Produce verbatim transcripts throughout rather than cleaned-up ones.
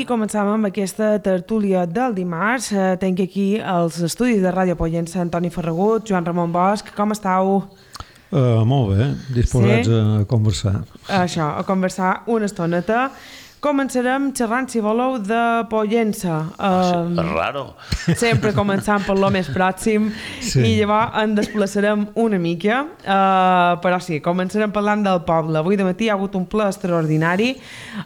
I començàvem amb aquesta tertúlia del dimarts. Eh, tenc aquí els estudis de Ràdio Pollença, Antoni Ferragut, Joan Ramon Bosch. Com estàu? Uh, molt bé, disposats sí? a conversar. Això, a conversar una estoneta. Començarem xerrant, si voleu, de Pollença. Um, és raro. Sempre començant per lo més pròxim sí. I llavors en desplaçarem una mica. Uh, però sí, començarem parlant del poble. Avui de matí hi ha hagut un ple extraordinari.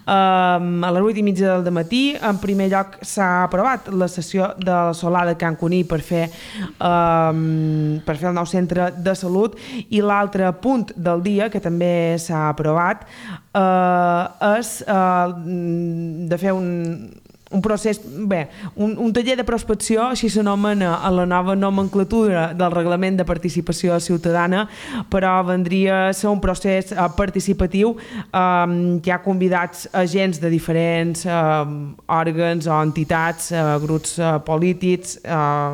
Uh, a les vuit i mitja del matí, en primer lloc, s'ha aprovat la sessió de la Solà de Can Cuní per fer, uh, per fer el nou centre de salut. I l'altre punt del dia, que també s'ha aprovat, uh, és... Uh, de fer un, un procés, bé, un, un taller de prospecció, així s'anomena a la nova nomenclatura del Reglament de Participació Ciutadana, però vendria a ser un procés uh, participatiu um, que ha convidats agents de diferents uh, òrgans o entitats, uh, grups uh, polítics, uh,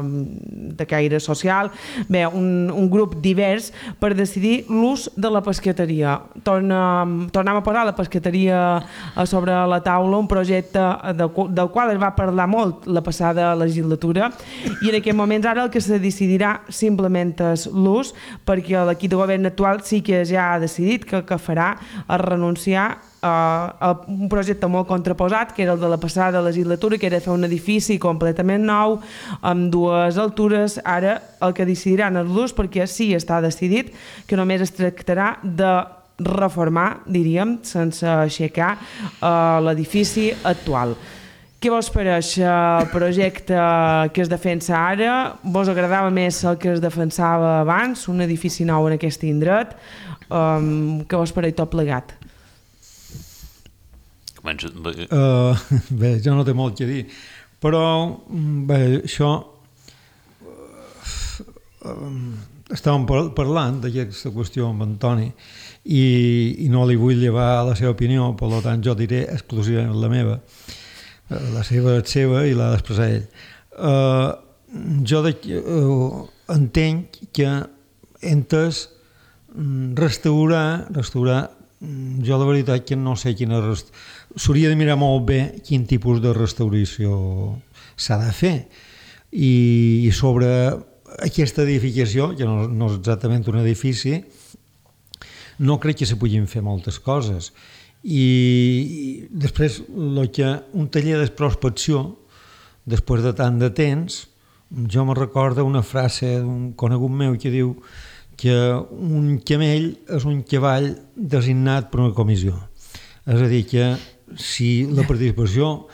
de caire social, bé, un, un grup divers per decidir l'ús de la pescateria. Tornem, tornem a posar la pescateria uh, sobre la taula, un projecte de, de del qual es va parlar molt la passada legislatura i en aquests moments ara el que se decidirà simplement és l'ús, perquè l'equip de govern actual sí que ja ha decidit que el que farà és renunciar a un projecte molt contraposat, que era el de la passada legislatura, que era fer un edifici completament nou, amb dues altures. Ara el que decidiran és l'ús, perquè sí està decidit que només es tractarà de reformar, diríem, sense aixecar l'edifici actual. Què vos pareix el projecte que es defensa ara? Vos agradava més el que es defensava abans, un edifici nou en aquest indret? Um, què vos pareix tot plegat? Uh, bé, jo no té molt que dir, però bé, això uh, estàvem parlant d'aquesta qüestió amb Antoni i, i no li vull llevar la seva opinió, per tant jo diré exclusivament la meva. La seva és seva i l'ha d'expressar ell. Uh, jo de, uh, entenc que entes restaurar, restaurar, jo la veritat que no sé quina rest... s'hauria de mirar molt bé quin tipus de restauració s'ha de fer i, i sobre aquesta edificació, que no, no és exactament un edifici, no crec que se puguin fer moltes coses. I després lo que un taller de prospecció després de tant de temps, jo me recorda una frase d'un conegut meu que diu que un camell és un cavall designat per una comissió, és a dir que si la participació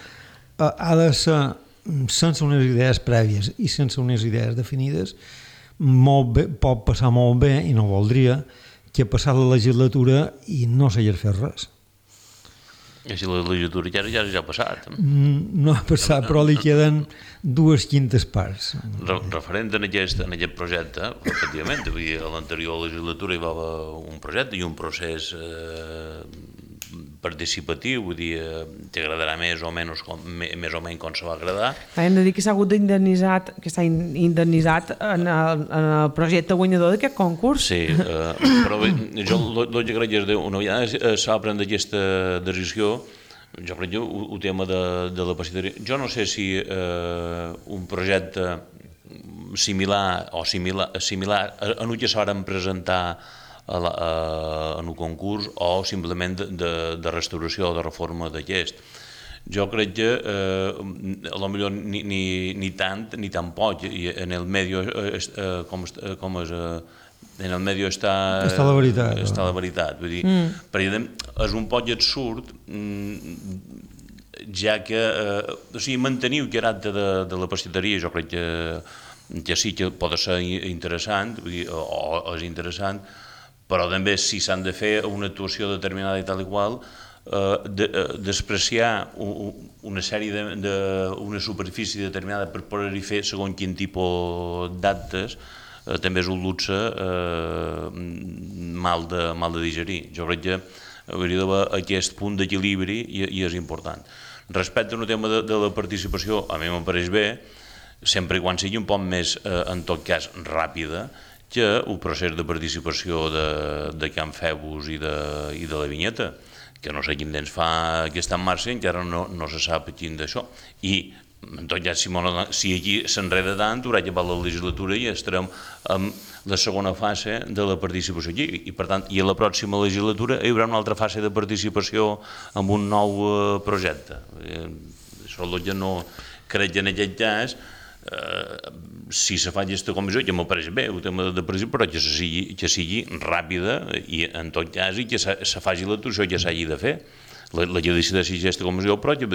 ha de ser sense unes idees prèvies i sense unes idees definides, molt bé, pot passar molt bé i no voldria que passar la legislatura i no s'hagués fet res. I si la legislatura ja, ja, ja ha passat. No ha passat, però li queden dues quintes parts. Re referent en aquest, en aquest projecte, efectivament, a l'anterior legislatura hi va haver un projecte i un procés eh, participatiu, vull dir, t'agradarà més o menys com, més o menys com se va agradar. Hem de dir que s'ha hagut d'indemnitzat, que s'ha indemnitzat en el, en el projecte guanyador d'aquest concurs. Sí, eh, però bé, jo el que crec és una vegada s'ha pres aquesta decisió, jo crec que el tema de, de la pescateria, jo no sé si eh, un projecte similar o similar, similar en el que s'han presentar A la, a, en un concurs o simplement de, de, de restauració o de reforma d'aquest. Jo crec que eh, a lo millor ni, ni, ni tant ni tan poc i en el medio eh, com, com és eh, en el medio està està la veritat, està la veritat. Vull dir, mm. perquè és un poc absurd ja que eh, o sigui, mantenir el caràcter de, de la pescateria jo crec que, que sí que pot ser interessant vull dir, o, o és interessant, però també si s'han de fer una actuació determinada i tal i qual, eh, de, eh, despreciar un, una sèrie de, de una superfície determinada per poder-hi fer segons quin tipus d'actes, eh, també és un luxe eh, mal, de, mal de digerir. Jo crec que hauria d'haver aquest punt d'equilibri i, i és important. Respecte al tema de, de la participació, a mi m'en pareix bé, sempre i quan sigui un poc més, eh, en tot cas, ràpida, que el procés de participació de, de Can Febus i de, i de la Vinyeta, que no sé quin temps fa que està en marxa, encara no, no se sap quin d'això. I, en tot cas, si, si aquí s'enreda tant, haurà acabat la legislatura i estarem amb la segona fase de la participació aquí. I, per tant, i a la pròxima legislatura hi haurà una altra fase de participació amb un nou eh, projecte. Eh, això és el que no crec que en aquest cas, eh, si se fa aquesta comissió, que m'ho pareix bé, el tema de participació, però que sigui, que sigui ràpida i, en tot cas, i que se, se faci l'actuació que s'hagi de fer. La, la que decideixi aquesta comissió, però que,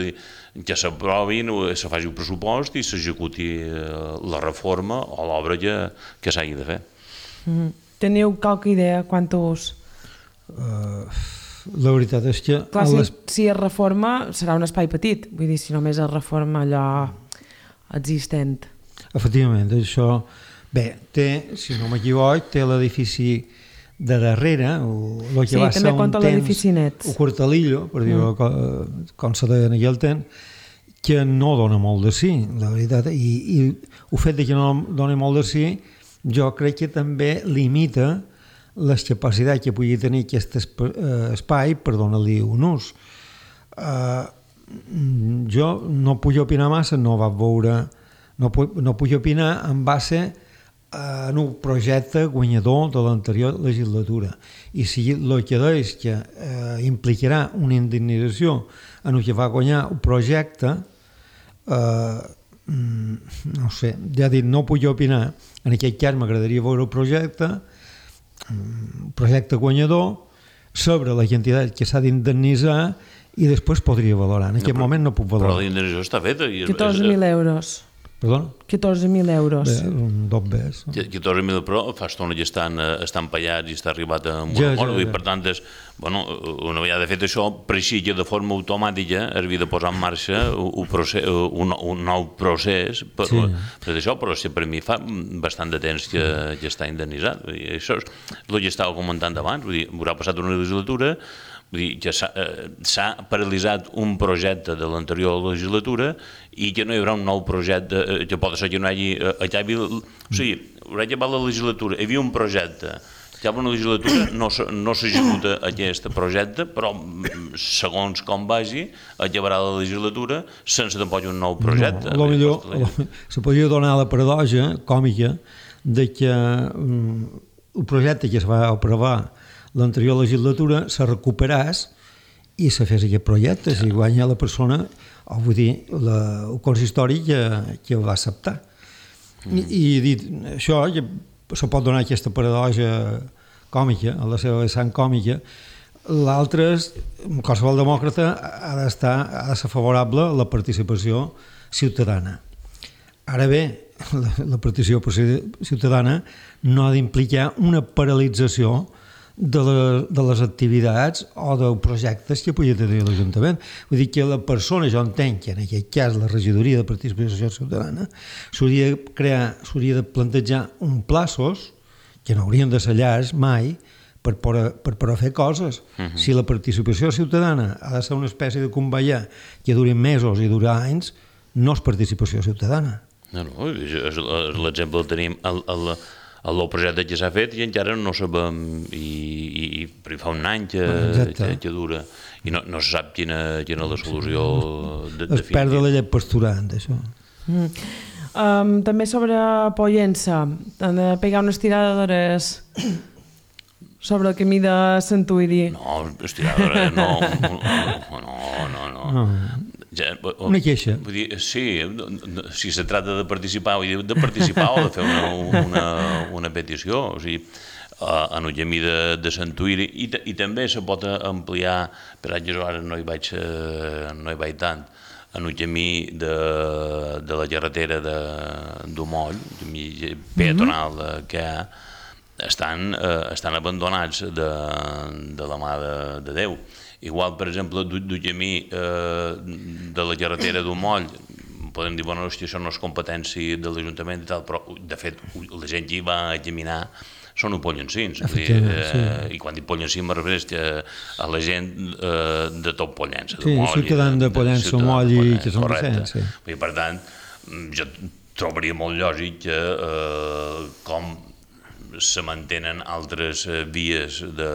que s'aprovi, se faci el pressupost i s'executi la reforma o l'obra que, que s'hagi de fer. Mm. Teniu qualque idea quantos? Uh, la veritat és que... Clar, si, les... si es reforma serà un espai petit, vull dir, si només es reforma allò existent. Efectivament, això... Bé, té, si no m'equivoc, té l'edifici de darrere, o el que sí, va ser un temps, Nets. o Quartalillo, per dir-ho mm. com, com se deia en aquell temps, que no dona molt de sí, la veritat, i, i el fet de que no doni molt de sí, jo crec que també limita les capacitats que pugui tenir aquest espai per donar-li un ús. Uh, jo no puc opinar massa, no vaig veure, no puc, no puc opinar en base en un projecte guanyador de l'anterior legislatura, i si el que deix que eh, implicarà una indemnització en el que va guanyar un projecte, eh, no sé, ja dit, no puc opinar. En aquest cas m'agradaria veure el projecte, un projecte guanyador, sobre la quantitat que s'ha d'indemnitzar, i després podria valorar. En aquest no, moment no puc valorar. Però la indemnització està feta. catorze mil euros. Perdona? catorze mil euros. Bé, un dos bes. catorze mil, però fa estona que estan, estan pallats i està arribat a un ja, ja, ja. I per tant, és, bueno, una vegada fet això, per així que de forma automàtica es havia de posar en marxa un, procés, un, un nou procés per, sí. per això, però si per mi fa bastant de temps que, que està indemnitzat. I això és el que estava comentant abans, vull dir, haurà passat una legislatura, vull dir, que s'ha eh, paralitzat un projecte de l'anterior legislatura i que no hi haurà un nou projecte, eh, que pot ser que no hi hagi... Eh, acabi, o sigui, haurà acabat la legislatura, hi havia un projecte, acaba una legislatura, no, no s'executa aquest projecte, però segons com vagi, acabarà la legislatura sense tampoc un nou projecte. No, millor, se podria donar la paradoxa còmica de que um, el projecte que es va aprovar l'anterior legislatura se recuperàs i se fes aquest projecte, si guanya la persona, o vull dir, la, el consistori que, que ho va acceptar. Mm. I, I dit això, se pot donar aquesta paradoxa còmica, a la seva vessant còmica. L'altre és, qualsevol demòcrata ha d'estar, ha de ser favorable a la participació ciutadana. Ara bé, la, la participació ciutadana no ha d'implicar una paralització de, la, de les activitats o de projectes que pugui tenir l'Ajuntament. Vull dir que la persona, jo entenc que en aquest cas la regidoria de participació ciutadana s'hauria de crear, s'hauria de plantejar un plaços que no haurien de ser llargs mai per poder, per poder fer coses. Uh-huh. Si la participació ciutadana ha de ser una espècie de convallar que duri mesos i dura anys, no és participació ciutadana. No, no, l'exemple el tenim al, al, al projecte que s'ha fet i encara no sabem, i, i, i fa un any que, que, que dura, i no, no se sap quina, quina és la solució de, es perd la llet pasturant, això. Mm. Um, també sobre Pollença, han de pegar una estirada d'hores sobre el camí de Santuïri. No, estirada d'hores, no, no, no, no. no. Ja, una queixa. Vull dir, sí, si se trata de participar, vull dir, de participar o de fer una, una, una petició, o sigui, en el camí de, de Santuïri, i, i també se pot ampliar, per això ara no hi vaig, no hi vaig tant, en el camí de, de la carretera d'Omoll, el camí peatonal que hi ha, estan, eh, estan abandonats de, de la mà de, de Déu. Igual, per exemple, del camí eh, de la carretera d'Omoll, podem dir, bueno, hòstia, això no és competència de l'Ajuntament i tal, però, de fet, la gent que hi va a caminar són pollencins. Eh, sí. I quan dic pollencins me refereix a la gent eh, de tot Pollença. Sí, ciutadans de Pollença, Omoll i que són recents. Sí. Per tant, jo trobaria molt lògic que, eh, com se mantenen altres vies de,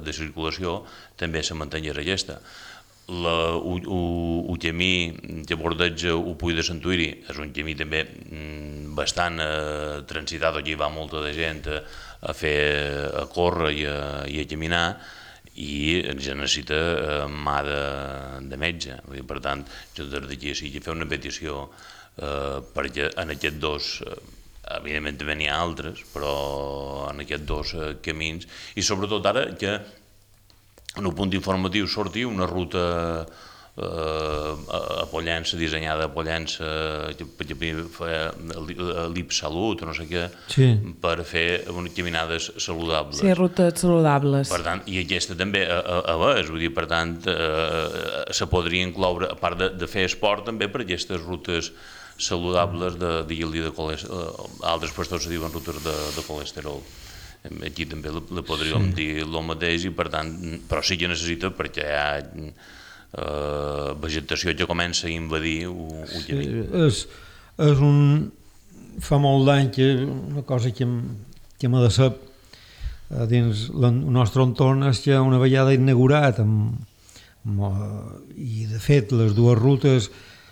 de circulació, també se mantengués aquesta. El camí que bordeja el Puig de Santuïri és un camí també bastant eh, transitat, aquí va molta de gent a, a fer, a córrer i a, i a caminar, i ja necessita eh, mà de, de metge. Vull dir, per tant, jo des d'aquí sí que fer una petició eh, perquè en aquests dos, eh, evidentment també n'hi ha altres, però en aquests dos eh, camins, i sobretot ara que en un punt informatiu sortir una ruta eh, a Pollença, dissenyada a Pollença, que feia l'I P Salut o no sé què, sí, per fer unes caminades saludables. Sí, rutes saludables. Per tant, i aquesta també a, a, a vegades, vull dir, per tant, eh, se podria incloure, a part de, de fer esport, també per aquestes rutes saludables de, de, de, de colesterol, altres pastors se diuen rutes de, de colesterol. Aquí també li podríem sí. dir el mateix, i per tant, però sí que necessita, perquè hi ha eh, vegetació que comença a invadir el camí. Sí, és, és un... fa molt d'any que una cosa que, que m'ha de ser dins el nostre entorn és que una vegada inaugurat amb, amb, i de fet les dues rutes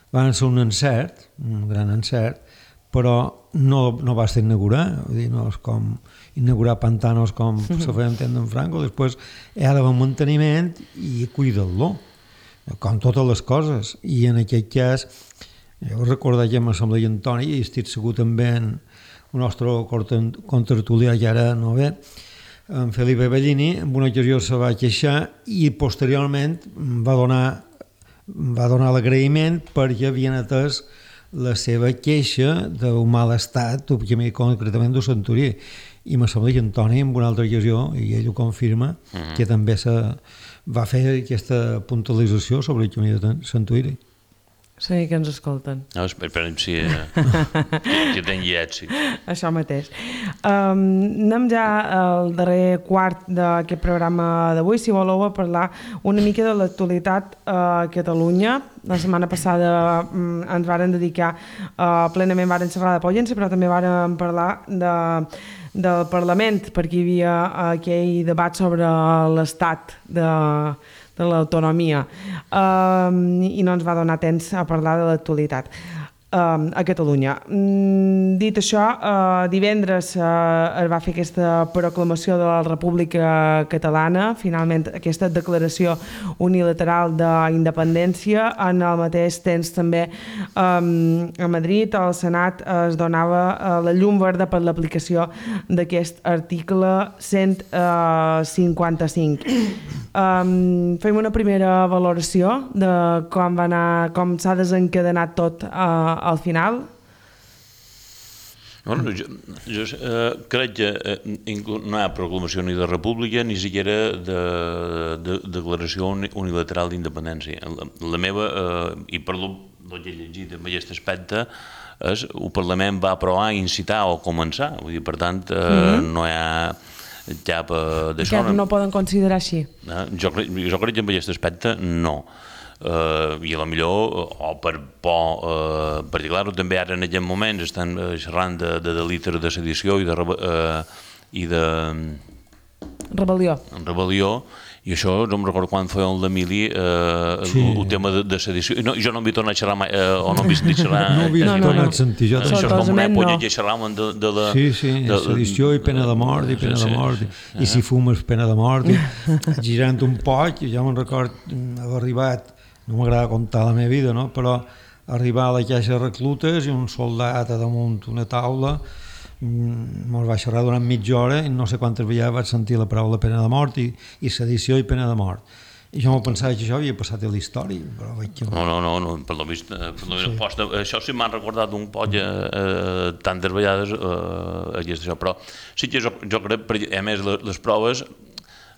van ser un encert, un gran encert, però no, no va ser inaugurar, vull dir, no és com inaugurar pantanos com se feia entendre en Franco, després hi ha d'haver manteniment i cuidar-lo, com totes les coses, i en aquest cas, jo recordo que amb l'Assemblea Antoni, i estic segur també en el nostre contertulià, que ara no ve, en Felipe Bellini, en una ocasió se va queixar i posteriorment va donar, va donar l'agraïment perquè havien atès la seva queixa d'un mal estat, concretament del Santurí. I m'assembla Antoni, en una altra ocasió, i ell ho confirma, uh-huh. que també se va fer aquesta puntualització sobre el camí de Santuïri. Sí, que ens escolten. No, esperem si eh, que tingui èxit. Això mateix. Um, anem ja al darrer quart d'aquest programa d'avui, si voleu, a parlar una mica de l'actualitat a Catalunya. La setmana passada um, ens varen dedicar, uh, plenament varen xerrar de Pollença, però també varen parlar de, del Parlament, perquè hi havia aquell debat sobre l'estat de de l'autonomia, um, i no ens va donar temps a parlar de l'actualitat um, a Catalunya. Um, dit això, uh, divendres uh, es va fer aquesta proclamació de la República Catalana, finalment aquesta declaració unilateral d'independència. En el mateix temps també um, a Madrid, al Senat, es donava uh, la llum verda per l'aplicació d'aquest article cent cinquanta-cinc. Um, fem una primera valoració de com va anar, com s'ha desencadenat tot uh, al final. Bueno, jo jo eh, crec que eh, no hi ha proclamació ni de república ni siquiera de, de, de declaració unilateral d'independència. La, la meva, eh, i per el que he llegit en aquest aspecte, és el Parlament va aprovar, incitar o començar. Vull dir, per tant, eh, mm-hmm. no hi ha cap d'això. Que no poden considerar així? Eh, jo, jo crec que en aquest aspecte no. Uh, i a lo millor, o per por, uh, perquè clar, també ara en aquest moment estan xerrant de, de delictes de sedició i de, uh, i de rebel·lió. rebel·lió, i això no em recordo quan feia el d'Emili, uh, sí. el, el tema de, de sedició. No, jo no m'he tornat a xerrar mai, uh, o no m'he sentit xerrar. No ho havia no, tornat no, a sentir. Jo això és com una època no. que xerràvem de, de la... Sí, sí, de, sedició i pena de mort, i pena sí, de mort, i, sí. i si fumes pena de mort, i, girant un poc, jo me'n record haver arribat, no m'agrada contar la meva vida, no? Però arribar a la caixa de reclutes i un soldat a damunt una taula ens va xerrar durant mitja hora i no sé quantes vegades vaig sentir la paraula pena de mort i, i sedició i pena de mort. I jo m'ho pensava que això havia passat a la història, però veig que... No, no, no, no per lo vist, per lo vist sí. posta, això sí m'han recordat un poc eh, tantes vegades eh, això, però sí que jo, jo crec, a més les, les proves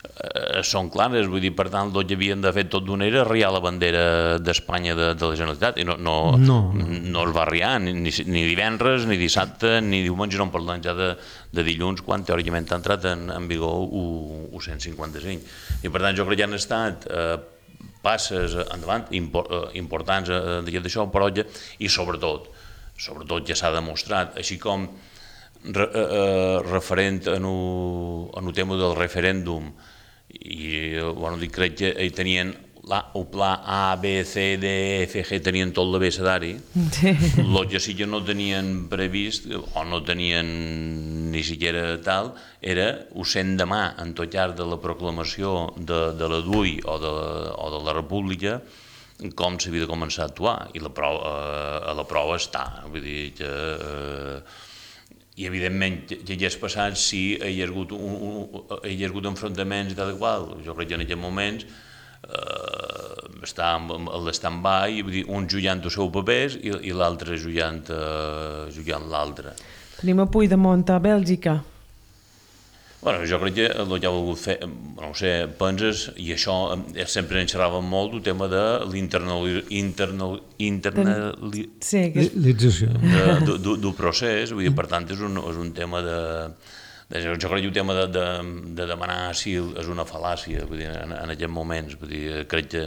eh, són clares, vull dir, per tant, el que havien de fer tot d'una era arriar la bandera d'Espanya de, de la Generalitat, i no, no, no. no es va arriar, ni, ni divendres, ni dissabte, ni diumenge, no en parlant ja de, de dilluns, quan teòricament ha entrat en, en vigor el cent cinquanta-cinc. I per tant, jo crec que han estat eh, passes endavant import, eh, importants eh, d'això, però ja, i sobretot, sobretot ja s'ha demostrat, així com re, eh, referent en el tema del referèndum, i bueno, dic, crec que ells tenien el pla A, B, C, D, E, F, G, tenien tot l'abecedari. Sí. El que sí que no tenien previst, o no tenien ni siquiera tal, era ho sent demà en tot llarg de la proclamació de, de la D U I o de, o de la República, com s'havia de començar a actuar, i la prova, eh, a la prova està. Vull dir que... Eh, i evidentment que hagués passat si hi ha hagut, un, un, hi ha hagut enfrontaments i tal i qual. Jo crec que en aquests moments eh, està a l'stand-by, vull dir, un jugant els seus papers i, i l'altre jugant, eh, jugant l'altre. Tenim a Puigdemont a Bèlgica. Bueno, jo crec que el que ha volgut fer, no ho sé, penses, i això sempre en xerràvem molt, el tema de l'internalització del procés, vull dir, per tant, és un, és un tema de... de jo crec que el tema de, de, de demanar asil és una fal·làcia, vull dir, en, en aquests moments, vull dir, crec que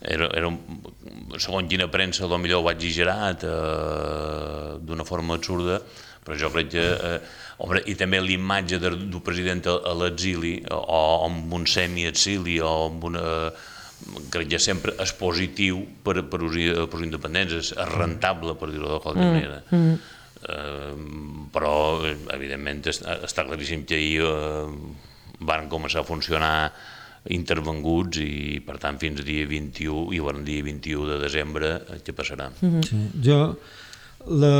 era, era un, segons quina premsa, potser ho ha exagerat eh, d'una forma absurda, però jo crec que... Eh, Home, i també l'imatge del president a l'exili, o amb un semi-exili, o amb una... crec que sempre és positiu per, per, per els independents, és rentable, per dir-ho de qualque manera. Mm, mm. Eh, però, evidentment, està claríssim que ahir eh, van començar a funcionar intervenguts i, per tant, fins dia vint-i-u, i el dia vint-i-u de desembre, què passarà? Mm-hmm. Sí, jo... La...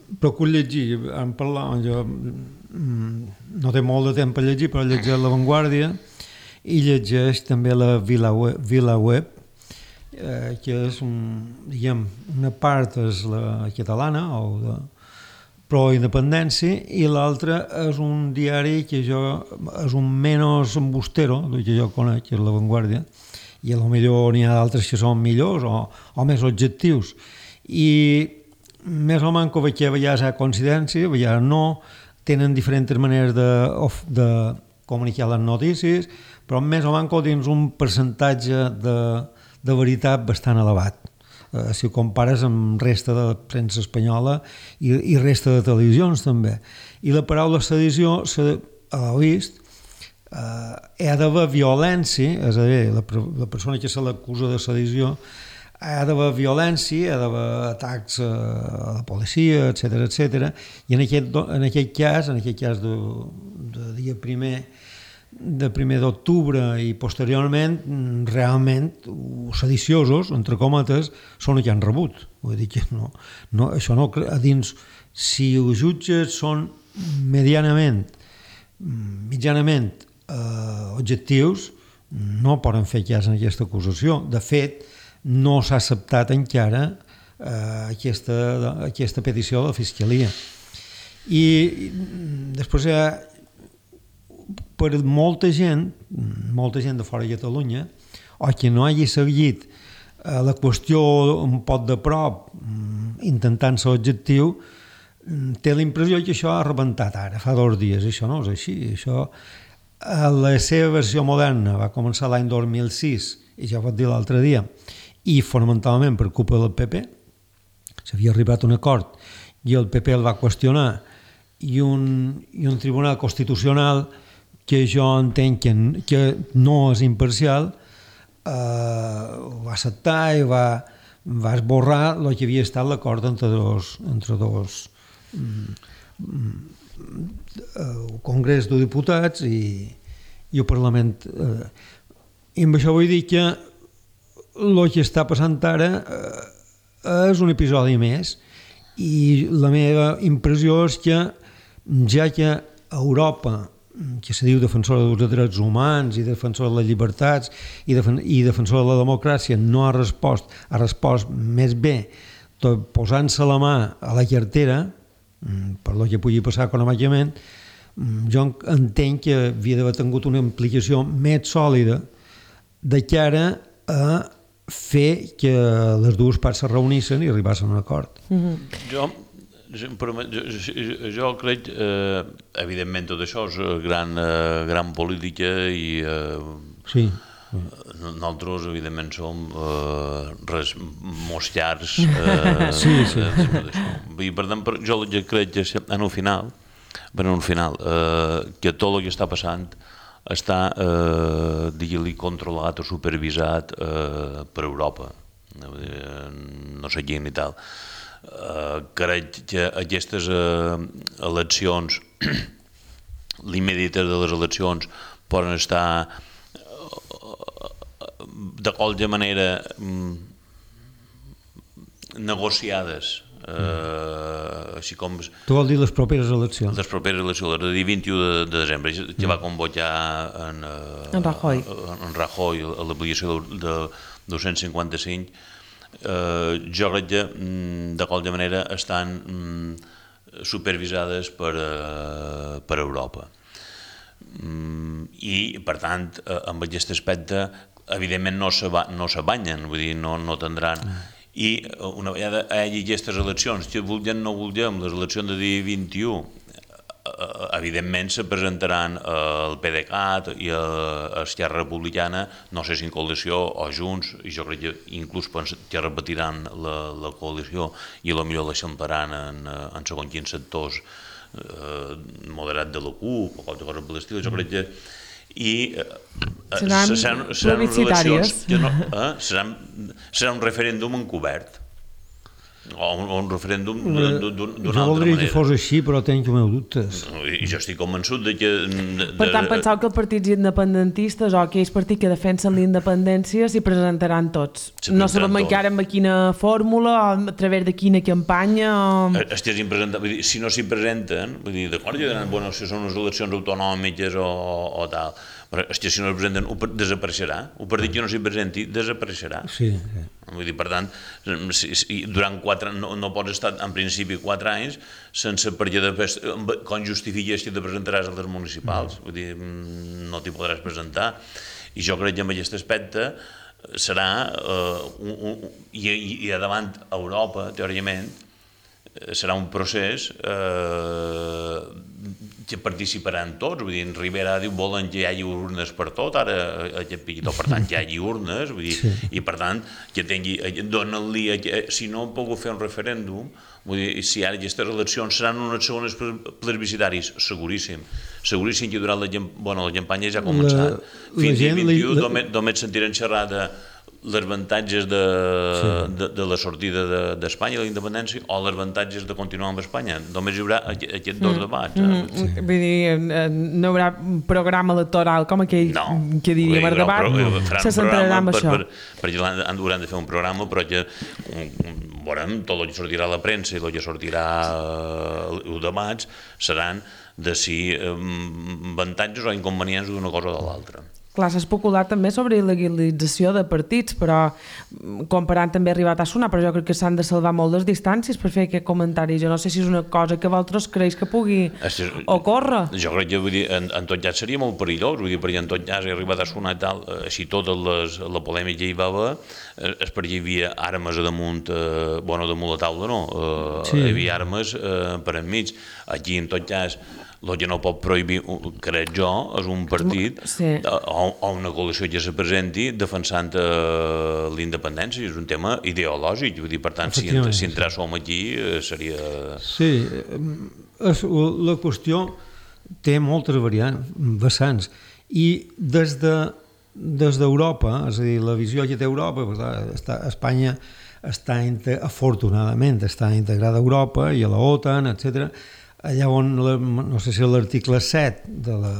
procuro llegir, en parlar, jo no té molt de temps per llegir, però llegeix La Vanguardia i llegeix també la VilaWeb, eh, que és un, diguem, una part és la catalana, o de pro-independència, i l'altra és un diari que jo, és un menys embustero, que jo conec, que és La Vanguardia, i potser n'hi ha d'altres que són millors o, o més objectius. I més o manco veig que hi ha coincidència, hi ha no, tenen diferents maneres de, de comunicar les notícies, però més o manco dins un percentatge de, de veritat bastant elevat. Eh, si ho compares amb resta de premsa espanyola i, i resta de televisions també. I la paraula sedició, a l'he vist, eh, ha d'haver violència, és a dir, la, la persona que se l'acusa de sedició ha d'haver violència, ha d'haver atacs a la policia, etcètera, etcètera, i en aquest, en aquest cas, en aquest cas de, de dia primer de primer d'octubre i posteriorment, realment, sediciosos, entre cometes, són els que han rebut. Vull dir que no, no, això no, a dins, si els jutges són medianament, mitjanament eh, objectius, no poden fer cas en aquesta acusació. De fet, no s'ha acceptat encara eh, aquesta, aquesta petició de la Fiscalia. I després hi ha, per molta gent, molta gent de fora de Catalunya, o que no hagi seguit eh, la qüestió un pot de prop, intentant ser objectiu, té la impressió que això ha rebentat ara, fa dos dies. Això no és així. Això, a la seva versió moderna, va començar l'any dos mil sis, i ja ho vaig dir l'altre dia, i fonamentalment per culpa del P P, s'havia arribat a un acord i el P P el va qüestionar, i un, i un tribunal constitucional que jo entenc que, que no és imparcial, eh, ho va acceptar i va, va esborrar el que havia estat l'acord entre dos, entre dos mm, el Congrés de Diputats i, i el Parlament. Eh, I amb això vull dir que el que està passant ara eh, és un episodi més, i la meva impressió és que, ja que Europa, que se diu defensora dels drets humans i defensora de les llibertats i, defen i defensora de la democràcia, no ha respost, ha respost més bé tot posant-se la mà a la cartera, per el que pugui passar econòmicament, jo entenc que havia d'haver tingut una implicació més sòlida de cara a fer que les dues parts se reunissin i arribassin a un acord. Mm-hmm. Jo, jo, jo crec, eh, evidentment tot això és gran, eh, gran política i eh, sí. nosaltres evidentment som eh, res, mosllars eh, sí, sí. I per tant, jo crec que en el final bueno, al final, eh, que tot el que està passant està, eh, digue-li, controlat o supervisat eh, per Europa, eh, no sé quin i tal. Eh, crec que aquestes eh, eleccions, l'immediates de les eleccions, poden estar de qualsevol manera negociades, eh, així com... Tu vol dir les properes eleccions? Les properes eleccions, el dia vint-i-u de, de desembre, que va convocar en, eh, en Rajoy, en Rajoy a l'aplicació de, de dos-cents cinquanta-cinc, eh, jo crec que de qualsevol manera estan mm, supervisades per, eh, per Europa. Mm, I, per tant, eh, amb aquest aspecte, evidentment no se, no se banyen, vull dir, no, no tindran... Mm. I una vegada hi hagi aquestes eleccions, que vulguem o no vulguem, les eleccions de dia vint-i-u, evidentment se presentaran el PDeCAT i Esquerra Republicana, no sé si en coalició o junts, i jo crec que inclús que repetiran la, la coalició i potser l'eixamparan en, en segons quins sectors eh, moderats de la CUP o qualsevol cosa per l'estil. Jo crec que i eh, seran, seran, seran plebiscitàries. Que no, eh, seran, serà un referèndum encobert o un, un referèndum d'una altra manera. Jo voldria que fos així, però tenc els meus dubtes. I jo estic convençut de que... De, per tant, penseu que els partits independentistes o aquells partits que defensen la independència s'hi presentaran tots. No sabem encara amb quina fórmula, a través de quina campanya... Estiguessin presentant, vull dir, si no s'hi presenten, vull dir, d'acord, ja diran, bueno, si són unes eleccions autonòmiques o, o tal, però és que si no es presenten, desapareixerà. El partit que no s'hi presenti desapareixerà. Sí, sí. Vull dir, per tant, si, si durant quatre, no, no pots estar en principi quatre anys sense perquè després, com justifiques que te presentaràs a les municipals. Vull dir, no t'hi podràs presentar. I jo crec que en aquest aspecte serà, uh, un, un, i, i a davant Europa, teòricament, serà un procés eh, que participaran tots. Vull dir, en Rivera diu volen que hi hagi urnes per tot, ara aquest piquitó, per tant, que hi hagi urnes, vull dir, sí. I per tant, que tingui, donen-li, si no han pogut fer un referèndum, vull dir, si ara aquestes eleccions seran unes segones plebiscitaris, seguríssim, seguríssim que durant la, bueno, la campanya ja ha començat. La, Fins al vint-i-u la... només, només sentiran xerrar de les avantatges de, sí. de, de la sortida d'Espanya, de, de la independència, o les avantatges de continuar amb Espanya. Només hi haurà aquests dos debats. Mm, mm, sí. Vull dir, no hi haurà programa electoral com aquell no, que diria per debat, no. Se centrarà en això. Per, per, per, hauran de fer un programa, però que veurem, tot el que sortirà a la premsa i el que sortirà els debats seran de si avantatges o inconvenients d'una cosa o de l'altra. Clar, s'ha especulat també sobre il·legalització de partits, però comparant també ha arribat a sonar, però jo crec que s'han de salvar molt les distàncies per fer aquest comentari. Jo no sé si és una cosa que vosaltres creus que pugui ocórrer. Jo crec que vull dir, en, en tot cas seria molt perillós, vull dir, perquè en tot cas ha arribat a sonar i tal, així tota les, la polèmica hi va haver, és perquè hi havia armes a damunt, eh, bueno, damunt la taula no, eh, sí. Hi havia armes eh, per enmig. Aquí en tot cas el que no pot prohibir, crec jo, és un partit sí. o, o una coalició que se presenti defensant eh, la independència. És un tema ideològic, vull dir, per tant, si, si entrar som aquí eh, seria... Sí, és, la qüestió té moltes variants, vessants, i des de des d'Europa, és a dir, la visió que té Europa, està, Espanya està, afortunadament, està integrada a Europa i a la OTAN, etcètera. Allà on, no sé si l'article set de la,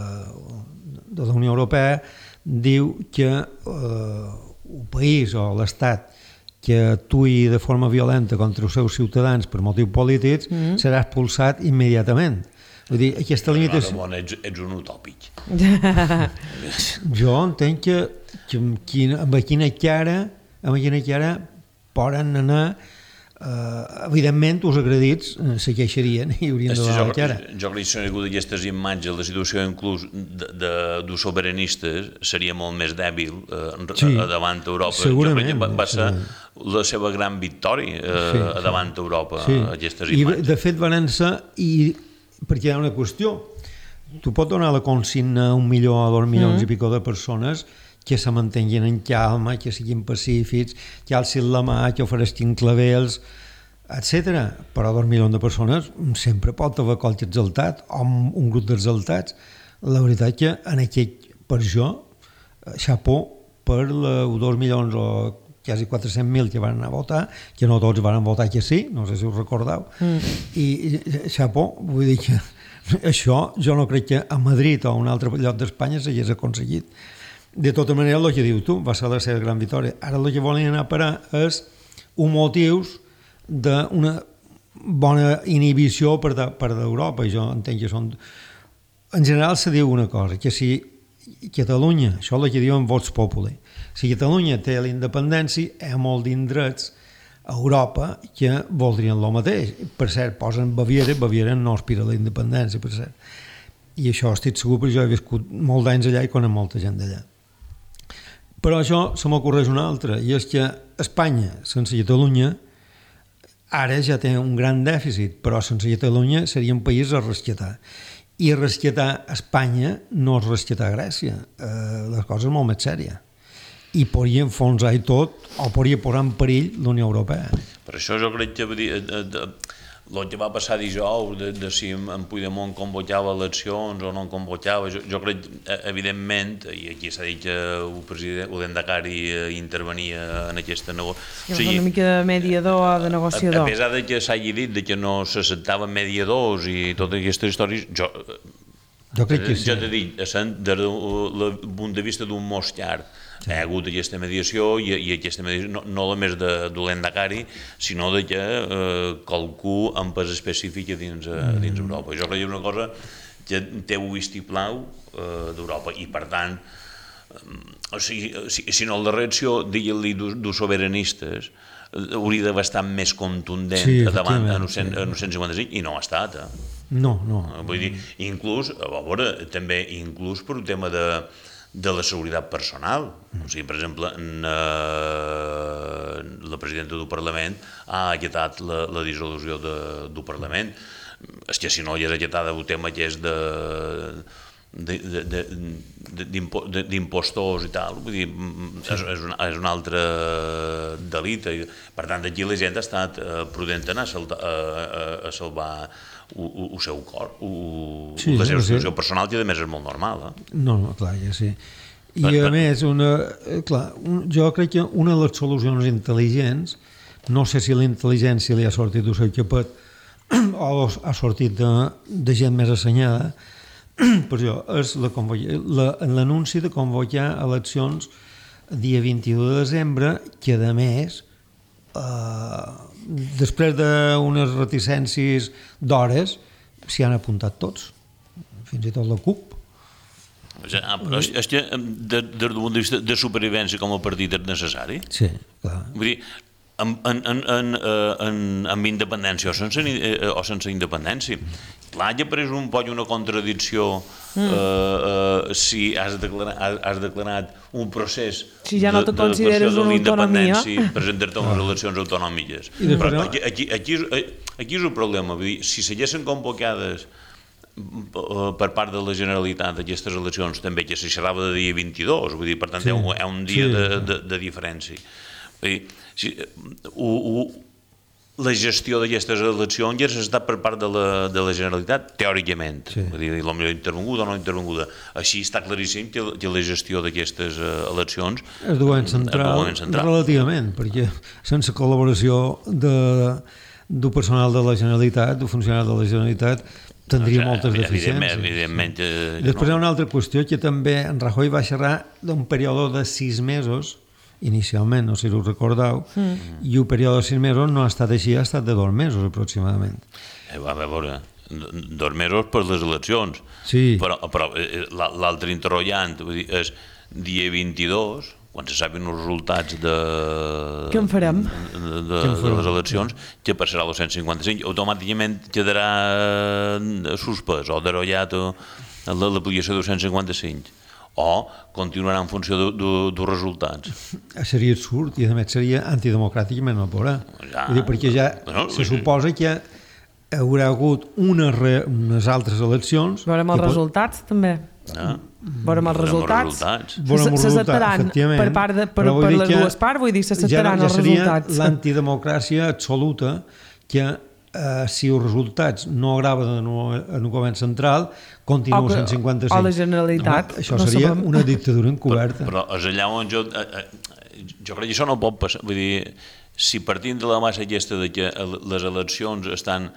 de la Unió Europea diu que eh, un país o l'Estat que actuï de forma violenta contra els seus ciutadans per motius polítics mm. serà expulsat immediatament. Vull dir, aquesta limitació... Bon, ets, ets un utòpic. Jo entenc que, que quina, amb quina cara, amb quina cara poden anar... Uh, evidentment els agredits uh, se queixarien i haurien de donar la cara. Jo crec que si no hi hagut aquestes imatges, la situació inclús de, de, dels sobiranistes seria molt més dèbil uh, sí, davant Europa. Segurament. Jo crec que va ser la seva gran victòria uh, sí, sí. davant Europa, sí. aquestes imatges. I de fet van ser, i perquè hi ha una qüestió, tu pots donar la consigna a un milió o dos milions mm. i pico de persones que se mantenguin en calma, que siguin pacífics, que alcin la mà, que ofereixin clavells. etcètera. Però dos milions de persones sempre pot haver qualque exaltat o un grup d'exaltats. La veritat que en aquest, per això, xapó per els dos milions o quasi quatre-cents mil que van anar a votar, que no tots van votar que sí, no sé si us recordeu, mm. i xapó, vull dir que això jo no crec que a Madrid o a un altre lloc d'Espanya s'hagués aconseguit. De tota manera, el que diu tu, va ser la seva gran victòria. Ara el que volen anar a parar és un motius d'una bona inhibició per d'Europa, i jo entenc que són... En general se diu una cosa, que si Catalunya, això és el que diuen vots populi, si Catalunya té la independència, hi ha molt d'indrets a Europa que voldrien el mateix. Per cert, posen Baviera, Baviera no aspira a la independència, per cert. I això estic segur, perquè jo he viscut molts d'anys allà i conec molta gent d'allà. Però això se m'ocorreix una altra, i és que Espanya, sense Catalunya, ara ja té un gran dèficit, però sense Catalunya seria un país a rescatar. I rescatar Espanya no és rescatar Grècia. Eh, les coses són molt més sèries. I podria enfonsar i tot, o podria posar en perill la Unió Europea. Per això jo crec que el que va passar dijous, de, de si en Puigdemont convocava eleccions o no en convocava, jo, jo crec, evidentment, i aquí s'ha dit que el president, el Endacari intervenia en aquesta negociació. O sigui, una mica de mediador o de negociador. A, a pesar de que s'hagi dit de que no s'acceptaven mediadors i totes aquestes històries, jo... Jo crec que sí. Jo t'he dit, des del punt de vista d'un mos llarg, hi ha hagut aquesta mediació i, i aquesta mediació no, no només de, de l'Endacari, sinó de que eh, qualcú amb pes específic dins, mm. dins Europa. Jo crec que és una cosa que té un vistiplau eh, d'Europa i, per tant, eh, o sigui, si, si no la reacció, digue-li dels sobiranistes, hauria d'haver estat més contundent sí, davant en el cent cinquanta-cinc i no ha estat. Eh? No, no. Vull dir, inclús, a veure, també inclús per un tema de, de la seguretat personal. O sigui, per exemple, en, eh, la presidenta del Parlament ha acatat la, la dissolució de, del Parlament. És que si no hi és acatada el tema que és de... d'impostors i tal, vull dir, és, és, un, és un altre delit. Per tant, aquí la gent ha estat prudent en a, a, a salvar el seu cor, o, sí, la seva situació personal, que a més és molt normal. Eh? No, no, clar, ja sí. I per, a per... més, una, clar, un, jo crec que una de les solucions intel·ligents, no sé si la intel·ligència li ha sortit del seu capet o ha sortit de, de gent més assenyada, per això és l'anunci de convocar eleccions dia vint-i-u de desembre, que a més, eh, després d'unes reticències d'hores, s'hi han apuntat tots, fins i tot la CUP. És que des del punt de vista de supervivència com a partit és necessari? Sí, clar. Vull dir, amb, en, en, en, en, amb independència o sense, o sense independència. Clar, ja apareix un poc una contradicció mm. eh, eh, si has declarat, has declarat un procés si ja no te de, consideres de una autonomia, presentar-te unes eleccions autonòmiques. Però aquí, aquí, aquí, és, aquí és el problema, vull dir, si s'haguessin convocades per part de la Generalitat aquestes eleccions, també que se xerrava de dia vint-i-dos, vull dir, per tant, sí. hi ha un dia sí. de, de, de diferència. Vull dir, si, u, u, la gestió d'aquestes eleccions ja s'ha estat per part de la, de la Generalitat, teòricament, sí. Vull dir, potser intervenguda o no intervenguda. Així està claríssim que, que la gestió d'aquestes eleccions és govern central, central relativament, perquè sense col·laboració de, del personal de la Generalitat, del funcionari de la Generalitat, tindria o sigui, moltes deficiències. Evidentment, sí. Després no. Hi ha una altra qüestió que també en Rajoy va xerrar d'un període de sis mesos, inicialment, no sé si ho recordeu, mm. i el període de sis mesos no ha estat així, ha estat de dos mesos aproximadament. Eh, va, a veure, dos mesos per les eleccions, sí. però, però l'altre interrogant vull dir, és dia vint-i-dos, quan se sabin els resultats de, Què en farem? de, de, de les eleccions, que passarà el cent cinquanta-cinc, automàticament quedarà suspès o derollat l'aplicació del cent cinquanta-cinc. O continuarà en funció dels resultats. Seria absurd i a més seria antidemocràtic i menys no podrà. Ja, dir, perquè ja no, se suposa que hi haurà hagut unes, re, unes altres eleccions... Veurem els resultats pot... també. Ja. Veurem els resultats. S'acceptaran per, part de, per, per les dues parts, vull dir, s'acceptaran ja, ja els resultats. Ja seria l'antidemocràcia absoluta que eh, si els resultats no agraven en el govern central, continua O que- cent cinquanta-cinc. o la Generalitat, Home, això no seria sabem. una dictadura encoberta. Però, però és allà on jo... Eh, eh, jo crec que això no pot passar. Vull dir, si partint de la massa aquesta de que les eleccions estan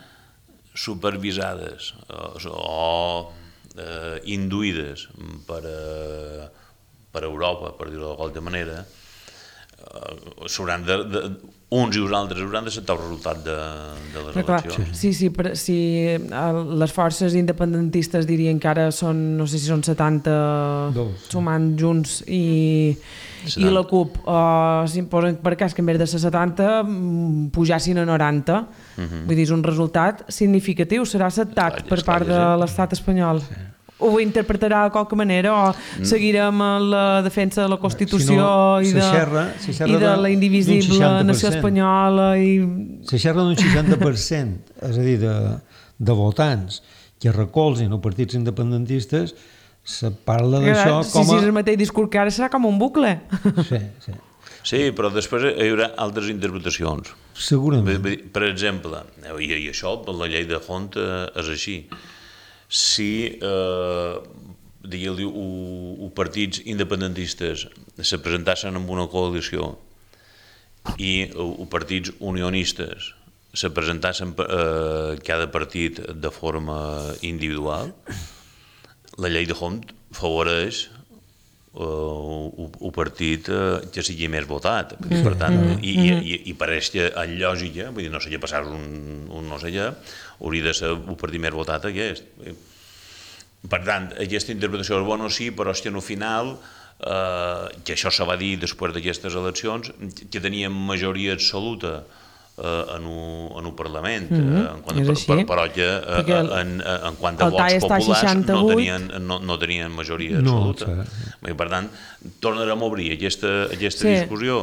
supervisades o, o eh, induïdes per, eh, per Europa, per dir-ho de qualque manera, eh, s'hauran de, de, uns i uns altres hauran d'acceptar el resultat de, de les Però clar, eleccions. sí, sí, però si eh, les forces independentistes dirien que ara són, no sé si són setanta Dos. sumant junts i, i setanta. la CUP uh, si posen per cas que en vez de ser setanta mm, pujassin a noranta, uh -huh. vull dir, és un resultat significatiu, serà acceptat Esclar, per esclar, part de sí. l'estat espanyol. Sí. Ho interpretarà de qualque manera o seguirem en la defensa de la Constitució Si no, i, se de, xerra- se xerra i de de- la d'un indivisible seixanta per nació cent. espanyola i... Se xerra d'un seixanta per cent, és a dir, de, de votants que recolzen els partits independentistes, se parla d'això si, com si a... és el mateix discurs que ara serà com un bucle. Sí, sí. Sí, però després hi haurà altres interpretacions. Segurament. Vull dir, per exemple, i, i això per la llei de Hont eh, és així, si eh, digueu-li partits independentistes se presentassin amb una coalició i els partits unionistes se presentassin eh, cada partit de forma individual, la llei de Hont favoreix el partit que sigui més votat. Per tant, i, i, i pareix que en lògica, vull dir, no sé què passar un, un no sé què, hauria de ser el partit més votat aquest. Per tant, aquesta interpretació és bona, sí, però és que al final, eh, que això se va dir després d'aquestes eleccions, que teníem majoria absoluta eh, en, un, en un Parlament, Mm-hmm. eh, en quant a, És per, així. per, però que eh, Perquè el- en, en quant a el vots tall està a populars no seixanta-vuit. tenien, no, no tenien majoria No, absoluta. I per tant, tornarem a obrir aquesta, aquesta Sí. discussió.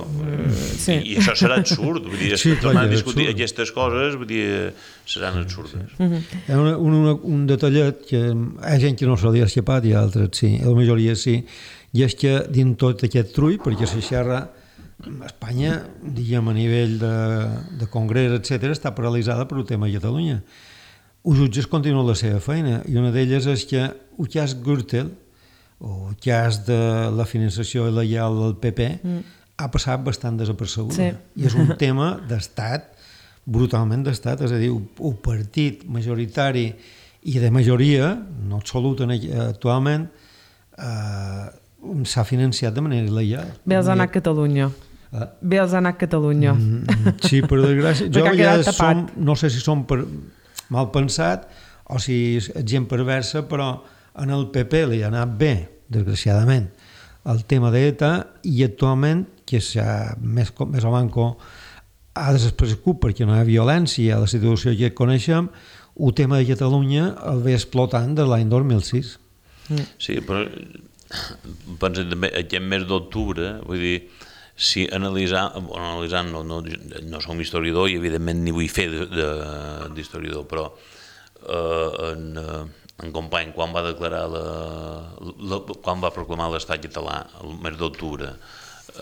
sí. I, I això serà absurd. Vull dir, Sí, clar, tornar a és discutir absurd. aquestes coses vull dir, seran absurdes. Hi ha una, una, un detallet que hi ha gent que no se li ha escapat i altres sí, la majoria sí, i és que dins tot aquest trull, perquè se xerra Espanya, diguem, a nivell de, de congrés, etcètera, està paralitzada per el tema de Catalunya. Els jutges continuen la seva feina i una d'elles és que el cas Gürtel o el cas de la finançació il·legal del P P mm. ha passat bastant desapercebuda. Sí. I és un tema d'estat, brutalment d'estat, és a dir, un partit majoritari i de majoria, no absoluta actualment, eh, s'ha financiat de manera il·legal. Bé els ha anat Catalunya. Ah. Bé els ha anat Catalunya. Mm, sí, per desgràcia. Jo Perquè ha a quedat vegades tapat. som, no sé si som per, mal pensat o si és gent perversa, però en el P P li ha anat bé, desgraciadament, el tema d'ETA i actualment, que s'ha més, més o manco ha desaparegut perquè no hi ha violència a la situació que coneixem, el tema de Catalunya el ve explotant de l'any dos mil sis. Sí, però penso també aquest mes d'octubre, vull dir, si analitzar, bueno, analitzant, no, no, no som historiador i evidentment ni vull fer d'historiador, però eh, en, en company, quan va declarar la, la, quan va proclamar l'estat català el mes d'octubre,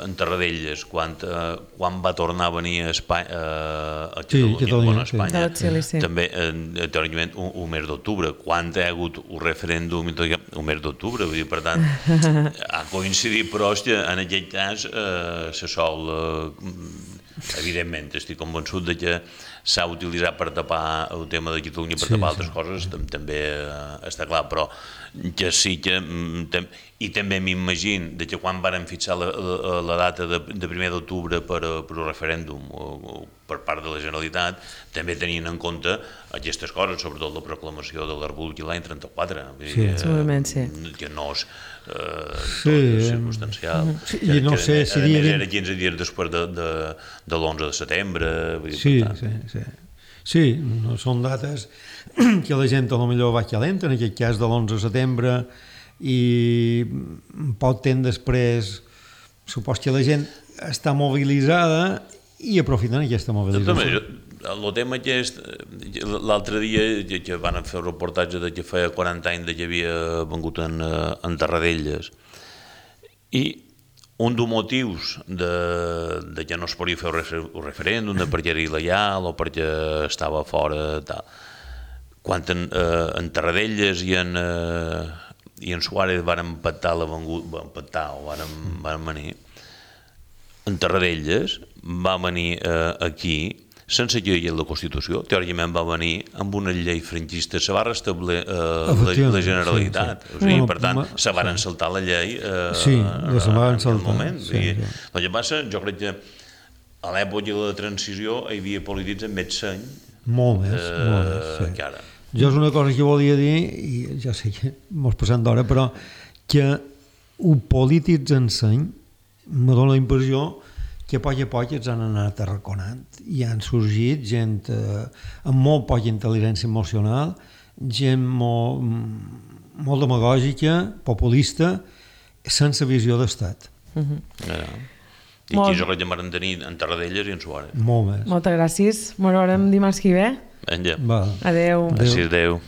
en Tarradellas, quan, eh, quan va tornar a venir a Espanya, a Catalunya, Sí, Catalunya, bueno, a sí. Espanya, De l'exili, sí. també eh, teòricament un, un mes d'octubre, quan hi ha hagut un referèndum un mes d'octubre, vull dir, per tant ha coincidit, però hòstia, en aquest cas eh, se sol eh, evidentment estic convençut de que s'ha utilitzat per tapar el tema de Catalunya, per Sí, tapar sí. altres coses, tam- també eh, està clar, però que sí que mm, tam- i també m'imagino de que quan varen fixar la, la, la data de, de primer d'octubre per, a- per un referèndum o, o per part de la Generalitat, també tenien en compte aquestes coses, sobretot la proclamació de la República l'any trenta-quatre, vull dir, Sí. eh, Segurament, sí. que no és eh, Sí, tot eh, circumstancial. Sí, Que- i no que, sé a si més, dir- era quinze dies després de, de, de l'onze de setembre, vull dir, Sí, per tant, sí, sí. Sí, no són dates que la gent a lo millor va calenta, en aquest cas de l'onze de setembre, i poc temps després supos que la gent està mobilitzada i aprofiten aquesta També, mobilització. el tema que és, l'altre dia que, que van fer un reportatge de que feia quaranta anys de que havia vengut en, eh, en Tarradellas, i un dels motius de, de que no es podia fer un referèndum, de perquè era il·legal o perquè estava fora, tal. Quan en, eh, en Tarradellas i en, eh, i en Suárez van empatar la vengut, van empatar o van, van venir, en Tarradellas va venir eh, aquí sense que hi hagués la Constitució, teòricament va venir amb una llei franquista, se va restablir eh, la, la Generalitat, sí, sí. O sigui, per tant, se van sí. saltar la llei eh, sí, en, se van en saltar, aquell moment. Sí, I, sí. El que passa, jo crec que a l'època de la transició hi havia polítics amb més seny molt més, eh, molt més sí. que ara. Jo és una cosa que volia dir, i ja sé que mos passem d'hora, però que un polítics enseny me dóna la impressió que a poc a poc ens han anat arraconant i han sorgit gent eh, amb molt poca intel·ligència emocional, gent molt, molt demagògica, populista, sense visió d'estat. Uh-huh. Ja. I aquí jo crec que m'han tenir en Tarradellas i en Suárez. Molt més. Moltes gràcies. Ens veurem dimarts que ve. Vinga. Adéu. Gràcies, adéu.